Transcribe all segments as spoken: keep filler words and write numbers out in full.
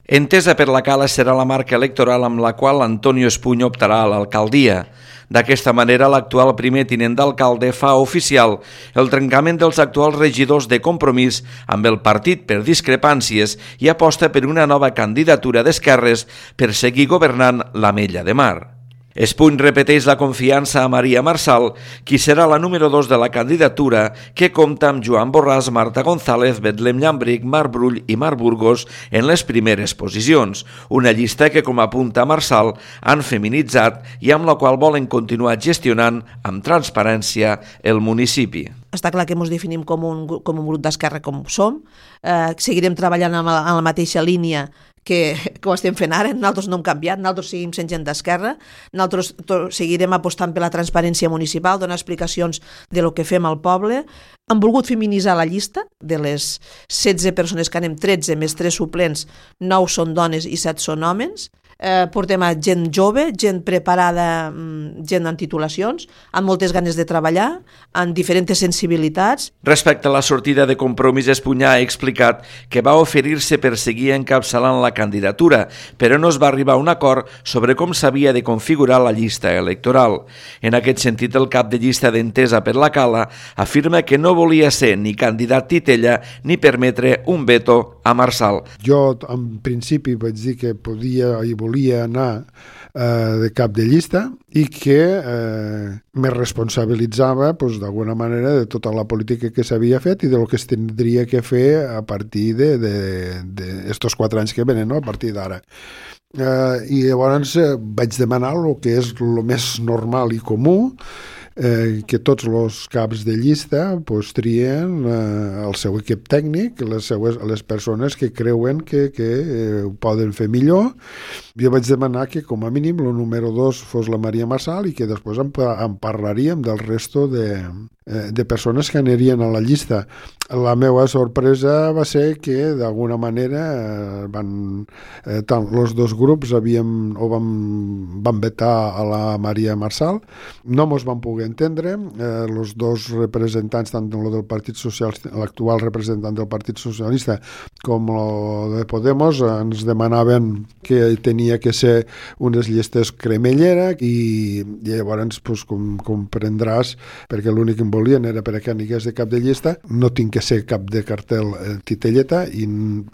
Entesa per la Cala serà la marca electoral amb la qual Antonio Espuny optarà a l'alcaldia. D'aquesta manera, l'actual primer tinent d'alcalde fa oficial el trencament dels actuals regidors de Compromís amb el partit per discrepàncies i aposta per una nova candidatura d'esquerres per seguir governant l'Ametlla de Mar. Espuny repeteix la confiança a Maria Marçal, qui serà la número dos de la candidatura, que compta amb Joan Borràs, Marta González, Betlem Llambric, Marc Brull i Marc Burgos en les primeres posicions, una llista que, com apunta Marçal, han feminitzat i amb la qual volen continuar gestionant amb transparència el municipi. Està clar que ens definim com un, com un grup d'esquerra com som, eh, seguirem treballant en la, en la mateixa línia que, que ho estem fent ara. Nosaltres no hem canviat, nosaltres seguim sent gent d'esquerra, nosaltres seguirem apostant per la transparència municipal, donar explicacions de lo que fem al poble. Hem volgut feminitzar la llista, de les setze persones que anem, tretze més tres suplents, nou són dones i set són homes. Eh, portem a gent jove, gent preparada, gent amb titulacions, amb moltes ganes de treballar, amb diferents sensibilitats. Respecte a la sortida de Compromís, Espuny ha explicat que va oferir-se per seguir encapçalant la candidatura, però no es va arribar a un acord sobre com s'havia de configurar la llista electoral. En aquest sentit, el cap de llista d'Entesa per la Cala afirma que no volia ser ni candidat titella ni permetre un veto a Marçal. Jo, en principi, vaig dir que podia i volia anar eh, de cap de llista i que eh, me responsabilitzava pues, d'alguna manera de tota la política que s'havia fet i de lo que es tindria que fer a partir d'estos quatre anys que venen, no? A partir d'ara. Eh, I llavors eh, vaig demanar el que és el més normal i comú, Eh, que tots els caps de llista pues, trien eh, el seu equip tècnic, les, seues, les persones que creuen que, que eh, ho poden fer millor. Jo vaig demanar que com a mínim el número dos fos la Maria Marçal i que després en, en parlaríem del resto de, eh, de persones que anirien a la llista. La meva sorpresa va ser que d'alguna manera eh, van, eh, tant els dos grups havíem, o van, van vetar a la Maria Marçal, no mos van poder entendre, eh, els dos representants, tant el del Partit Socialista, l'actual representant del Partit Socialista com el de Podemos, ens demanaven que tenia que ser unes llistes cremellera i, i llavors pues, com comprendràs, perquè l'únic que em volien era per a que anigués de cap de llista, no tinc que ser cap de cartel eh, titelleta i,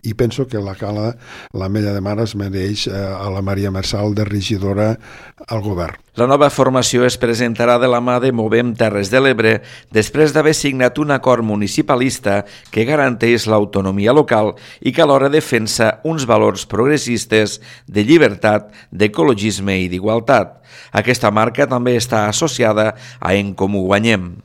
i penso que la Cala, l'Ametlla de Mar es mereix eh, a la Maria Marçal de regidora al govern. La nova formació es presentarà de la mà de Movem Terres de l'Ebre després d'haver signat un acord municipalista que garanteix l'autonomia local i que alhora defensa uns valors progressistes de llibertat, d'ecologisme i d'igualtat. Aquesta marca també està associada a En Comú Guanyem.